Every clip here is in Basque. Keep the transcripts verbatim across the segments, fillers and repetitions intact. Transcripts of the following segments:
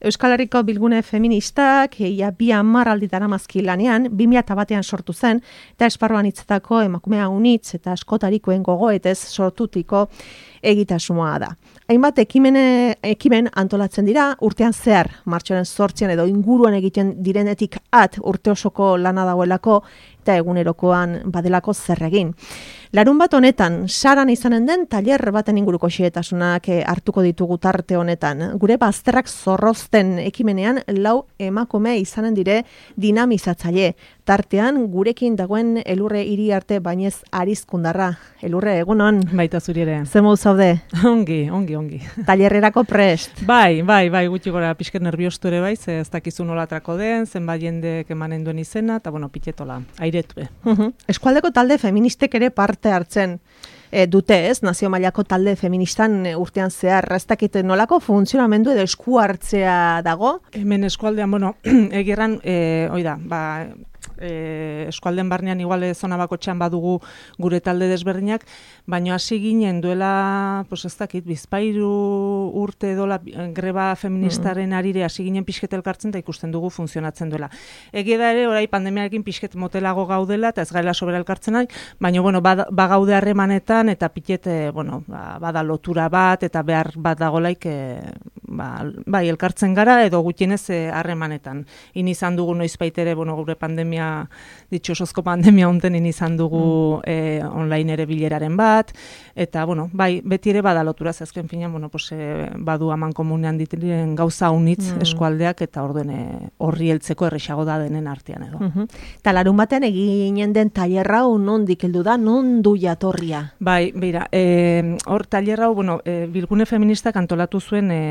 Euskal Herriko bilgune feministak ia bi hamar alditara mazki lanean, bi mila batean sortu zen, eta esparruan hitzetako emakumea unitz eta askotarikoen gogoetez sortutiko egitasmoa da. Hainbat ekimene, ekimen antolatzen dira, urtean zehar, martxoaren zortzian edo inguruan egiten direnetik at urte osoko lana dagoelako, eta egunerokoan badelako zer egin. Larun bat honetan, saran izanen den tailer baten inguruko xehetasunak hartuko ditugu tarte honetan. Gure bazterrak zorrozten ekimenean lau emakume izanen dire dinamizatzaile. Tartean, gurekin dagoen Elurre Iriarte Bainez Arizkundarra. Elurre, egunon? Baita zuri ere. Zemu zaude? Ongi, ongi, ongi. Tailerrerako prest? Bai, bai, bai, gutxi gora pixket nerviostu ere bai, ze ez dakizu nolatrako den, zenbait jendek emanen duen izena, eta bueno, pitetola, airetue. Uh-huh. Eskualdeko talde feministek ere parte hartzen e, dute, ez? Nazio mailako talde feministan e, urtean zehar, ez dakit nolako funtzionamendu edo esku hartzea dago? Hemen eskualdean, bueno, egirran, e, oida, ba... E, eskualden barnean igual zona bakotxean badugu gure talde desberdinak, baina hasi ginen duela, pues ez dakit, bizpairu urte dola greba feministaren arire hasi ginen pixket elkartzen eta ikusten dugu funtzionatzen duela. Egia da ere, orai pandemiarekin pixket motelago gaudela eta ez gaila sobera elkartzen nahi, baina bueno, bagaude harremanetan eta piket, bueno, ba, bada lotura bat eta behar bat dagolaik e, ba, bai, elkartzen gara edo gutienez harremanetan. E, In izan dugu noizbait ere, bueno, gure pandemia ditxosozko pandemia honten izan dugu mm. e, online ere bileraren bat, eta, bueno, bai, beti ere badalotura, azken finean, bueno, pues, e, badu aman komunean ditiren gauza unitz mm. eskualdeak, eta orduen horri heltzeko errexago da denen artean edo. Mm-hmm. Eta larun batean eginen den tailerra nondik heldu da, non du jatorria? Bai, beira, e, hor tailerra, bueno, e, bilgune feministak antolatu zuen e,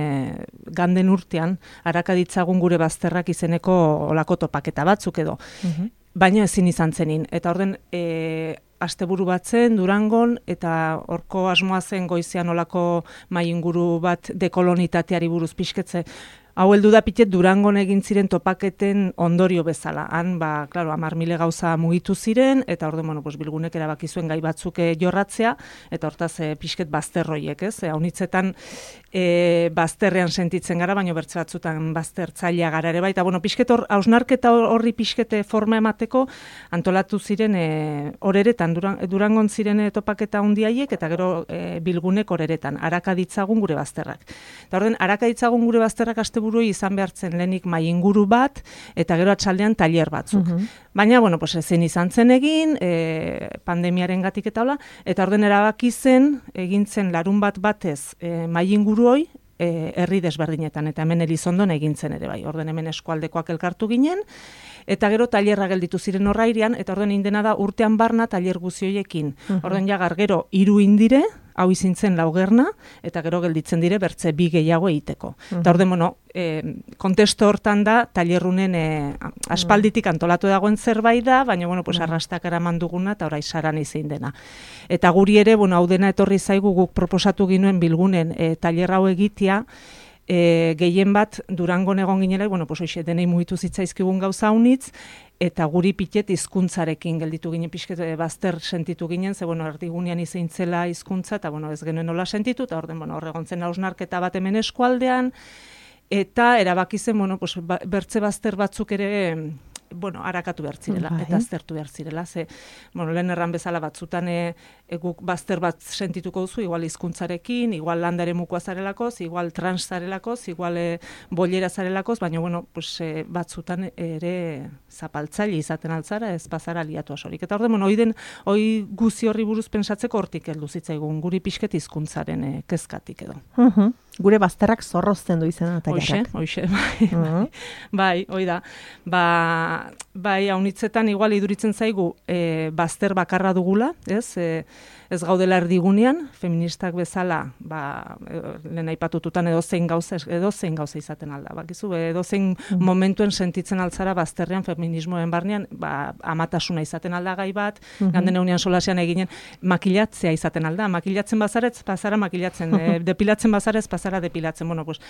ganden urtean, arakaditzagun gure bazterrak izeneko olako topaketa batzuk edo. Mm-hmm. Baina ezin izan zenin. Eta orden, e, asteburu bat zen, Durangon, eta horko asmoa zen goizean olako mainguru bat dekolonitateari buruz pixketze. Hau heldu da pitet Durangon egin ziren topaketen ondorio bezala. Han, ba, klaro, hamar mile gauza mugitu ziren, eta orden, bueno, pues, bilgunek erabaki zuen gai batzuk jorratzea, eta hortaz e, pixket bazterroiek, ez? E, Haunitzetan e, bazterrean sentitzen gara, baina bertze batzutan baztertzailea gara ere bai. Eta, bueno, pixket hor, hausnarketa horri pixkete forma emateko, antolatu ziren e, horeretan, Duran, Durangon ziren e, topaketa hundiaiek, eta gero e, bilgunek horeretan, arakaditzagun gure bazterrak. Eta orden, arakaditzagun gure bazterrak aste burui izan behartzen lehenik mai inguru bat, eta gero atxaldean tailer batzuk. Uh-huh. Baina, bueno, pues, ezin izan zen egin, e, pandemiaren gatik eta hola, eta orden erabaki zen, egin zen larun bat batez e, mai inguru hoi, e, herri desberdinetan, eta hemen Elizondon egin zen ere bai. Orden hemen eskualdekoak elkartu ginen, eta gero tailerra gelditu ziren horrairian, eta orden indena da urtean barna tailer guzioiekin. Uh-huh. Orden jagar gero hiru indire, hau izintzen laugerna, eta gero gelditzen dire bertze bi gehiago egiteko. Uh-huh. Eta orden, bueno, e, kontesto hortan da, tailerrunen e, aspalditik antolatu dagoen zerbait da, baina, bueno, pues, uh-huh. arrastak eraman duguna, eta orai saran izin dena. Eta guri ere, bueno, hau dena etorri zaigu guk proposatu ginuen bilgunen e, tailer hau egitea, E, gehien bat Durangon egon ginela, bueno, pues hoxe denei mugitu zitzaizkigun gauza unitz, eta guri pitet hizkuntzarekin gelditu ginen pixket bazter sentitu ginen, ze bueno, erdigunean izein zela hizkuntza, eta bueno, ez genuen nola sentitu, eta orden, bueno, horregontzen hausnarketa bat hemen eskualdean, eta erabaki zen, bueno, pues, ba, bertze bazter batzuk ere, bueno, arakatu behar zirela, bai. Eta aztertu behar zirela, ze, bueno, lehen erran bezala batzutan e, e, guk bazter bat sentituko duzu, igual hizkuntzarekin, igual landare mukoa zarelakoz, igual trans zarelakoz, igual e, bollera zarelakoz, baina, bueno, pues, e, batzutan ere zapaltzaile izaten altzara, ez bazara liatu asorik. Eta orde, bueno, oiden, oi guzi horri buruz pensatzeko hortik heldu zitzaigun, guri pixket hizkuntzaren e, kezkatik edo. Uh-huh. Gure bazterrak zorrozten du izena tailerrak. Hoxe, hoxe, bai, uh-huh. bai, hoi da. Ba, bai, haunitzetan igual iduritzen zaigu e, bazter bakarra dugula, ez? E, ez gaudela erdigunean, feministak bezala, ba, lehen aipatututan edozein gauza, edozein gauza izaten alda. Bakizu, edozein mm. momentuen sentitzen altzara bazterrean feminismoen barnean, ba, amatasuna izaten alda gai bat, mm-hmm. ganden egunean solasean eginen, makilatzea izaten alda. Makilatzen bazaretz, pasara makilatzen, e, depilatzen bazaretz, pasara depilatzen. Bueno, pues,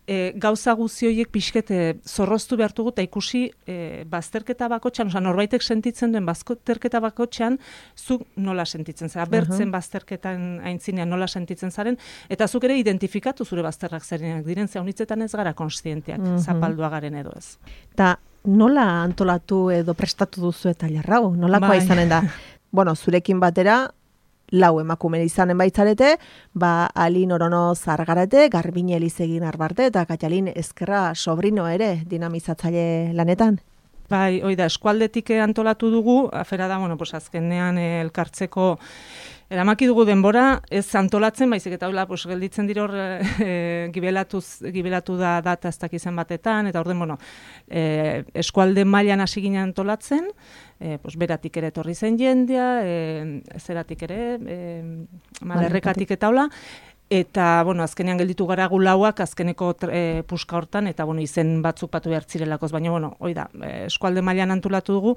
e, gauza guzioiek pixket e, zorroztu behartugu eta ikusi e, bazterketa bazterketa bakotxean, oza, norbaitek sentitzen duen bazterketa bakotxean, zuk nola sentitzen zara, bertzen uh-huh. bazterketan aintzinean nola sentitzen zaren, eta zuk ere identifikatu zure bazterrak zerenak diren, ze honitzetan ez gara konstienteak, uh-huh. zapaldua garen edo ez. Ta nola antolatu edo prestatu duzu eta jarrau? Nolakoa bai. Izanen da? Bueno, zurekin batera, lau emakume izanen baitzarete, ba, Alin Orono Zargarete, Garbine Elizegin Arbarte, eta Katalin Ezkerra sobrino ere dinamizatzaile lanetan. Bai, hoi da, eskualdetik antolatu dugu, afera da, bueno, pues azkenean eh, elkartzeko eramaki dugu denbora, ez antolatzen, baizik eta hola, pues, gelditzen dira hor e, gibelatuz, gibelatu da data ez dakizen batetan, eta orden, bueno, e, eskualde mailan hasi ginen antolatzen, e, pues, beratik ere etorri zen jendea, e, zeratik ere, e, malerrekatik eta hola, eta, bueno, azkenean gelditu gara gulauak, azkeneko e, puska hortan, eta, bueno, izen batzuk patu behar zirelakoz, baina, bueno, hoi da, eskualde mailan antolatu dugu,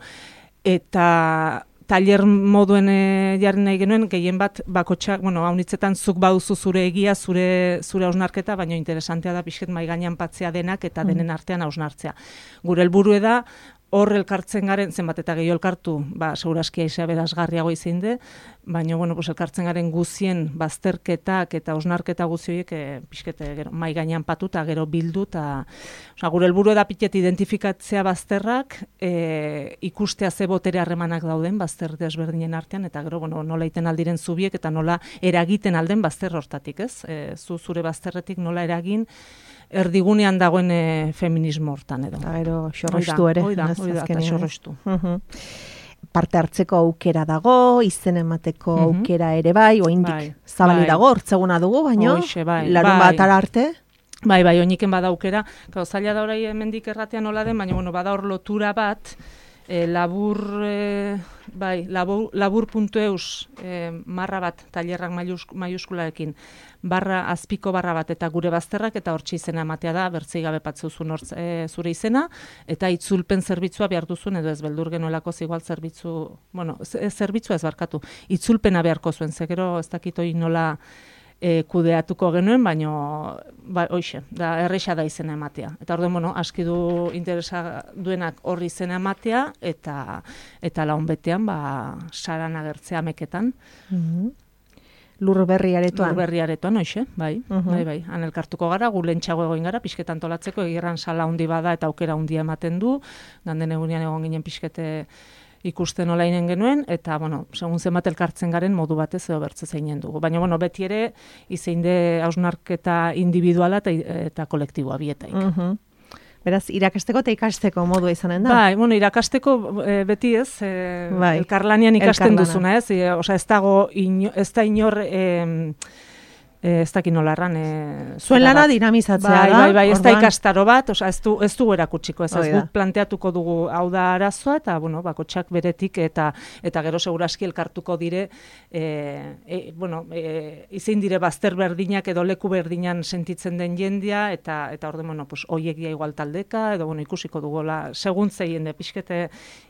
eta taller moduen e, jarri nahi genuen, gehien bat bakotxak, bueno, haunitzetan zuk bauzu zure egia, zure zure hausnarketa, baina interesantea da pixket mai gainean patzea denak eta denen artean hausnartzea. Gure helburua da, hor elkartzen garen, zenbat eta gehiago elkartu, ba, segurazki aizea berazgarriago izin de, baina, bueno, pues, elkartzen garen guzien bazterketak eta hausnarketa guzioiek e, pixket gero, mai gainean patu eta gero bildu, eta osea, gure helburua da pixket identifikatzea bazterrak, e, ikustea ze botere harremanak dauden bazter desberdinen artean, eta gero, bueno, nola iten aldiren zubiek eta nola eragiten alden bazter hortatik, ez? E, zu zure bazterretik nola eragin, erdigunean dagoen e, feminismo hortan edo. Eta gero, xorrostu ere. Oida, oida, eta xorrostu. Uh-huh. Parte hartzeko aukera dago, izen emateko uh-huh. aukera ere bai, oindik bai, zabali bai. Dago, hortzeguna dugu, baina bai, larun bai. batara arte. Bai, bai, oiniken bada aukera, gau, zaila da orai hemendik erratean nola den, baina bueno, bada hor lotura bat, E, labur, e, bai, labur, labur.eus e, marra bat, tailerrak maiuskularekin, barra, azpiko barra bat, eta gure bazterrak, eta hortxe izena ematea da, bertzei gabe patzuzun hortz, e, zure izena, eta itzulpen zerbitzua behar duzun, edo ez beldur genuelako igual zerbitzu, bueno, zerbitzua ez barkatu, itzulpena beharko zuen, zegero ez dakitoi nola E, kudeatuko genuen, baino ba, hoixe, da erresa da izena ematea. Eta orduan, bueno, aski du interesa duenak horri izena ematea, eta eta laun betean, ba, saran agertzea meketan. Mm-hmm. Lur berri aretoan. Lur berri aretoan, hoixe, bai, uh-huh. bai, bai. Han elkartuko gara, gu lentsago egoin gara, pixketan tolatzeko, egirran sala handi bada eta aukera handia ematen du, ganden egunean egon ginen pixkete ikusten nola inen genuen, eta, bueno, segun zenbat elkartzen garen modu batez edo bertze zeinen dugu. Baina, bueno, beti ere, izeinde hausnarketa individuala eta, eta kolektiboa bietaik. Uh-huh. Beraz, irakasteko eta ikasteko modua izanen da? Bai, bueno, irakasteko e, beti ez, e, bai. Elkarlanian ikasten Elkarlana. Duzuna ez, e, osea, ez dago, ino, ez da inor... E, ez dakit nola erran. E, Zuen lana dinamizatzea bai, da. Bai, bai, ez da ikastaro bat, oza, ez du, ez du erakutsiko, ez, ez guk planteatuko dugu hau da arazoa, eta, bueno, bakotxak beretik, eta eta gero seguraski elkartuko dire, e, e, bueno, e, izein dire bazter berdinak edo leku berdinan sentitzen den jendia, eta eta orde, bueno, pues, oiek dia igual taldeka, edo, bueno, ikusiko dugola, segun zeien de pixkete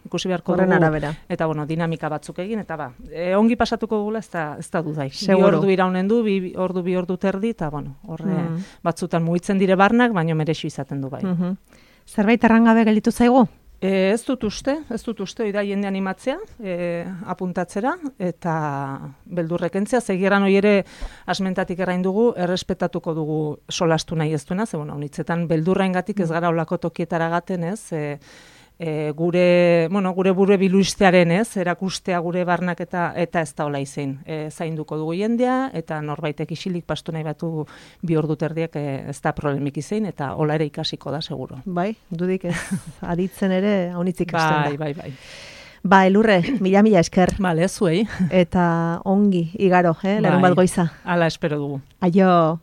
ikusi beharko Horren dugu, arabera. Eta, bueno, dinamika batzuk egin, eta ba, e, ongi pasatuko dugula, ez da, ez da dudai. Seguro. Bi ordu iraunen du, bi ordu bi ordu terdi, eta, bueno, horre mm. batzutan mugitzen dire barnak, baino merexu izaten du bai. Mm-hmm. Zerbait errangabe gelditu zaigu? E, ez dut uste, ez dut uste, oida jende animatzea, e, apuntatzera, eta beldurrekentzea, zegieran hori ere asmentatik errain dugu, errespetatuko dugu solastu nahi ez duena, ze, bueno, honitzetan beldurraingatik ez gara olako tokietara gaten, ez, e, E, gure, bueno, gure buru biluistearen ez, erakustea gure barnak eta, eta ez da hola izein. E, zainduko dugu jendea, eta norbaitek isilik pastu nahi batu bi ordu terdiak e, ez da problemik izein, eta hola ere ikasiko da, seguro. Bai, dudik ez, aditzen ere haunitzik ikasten da. Bai, bai, bai. Ba, Elurre, mila-mila esker. Bale, zuei. Eta ongi, igaro, eh, larun bat goiza. Hala espero dugu. Aio.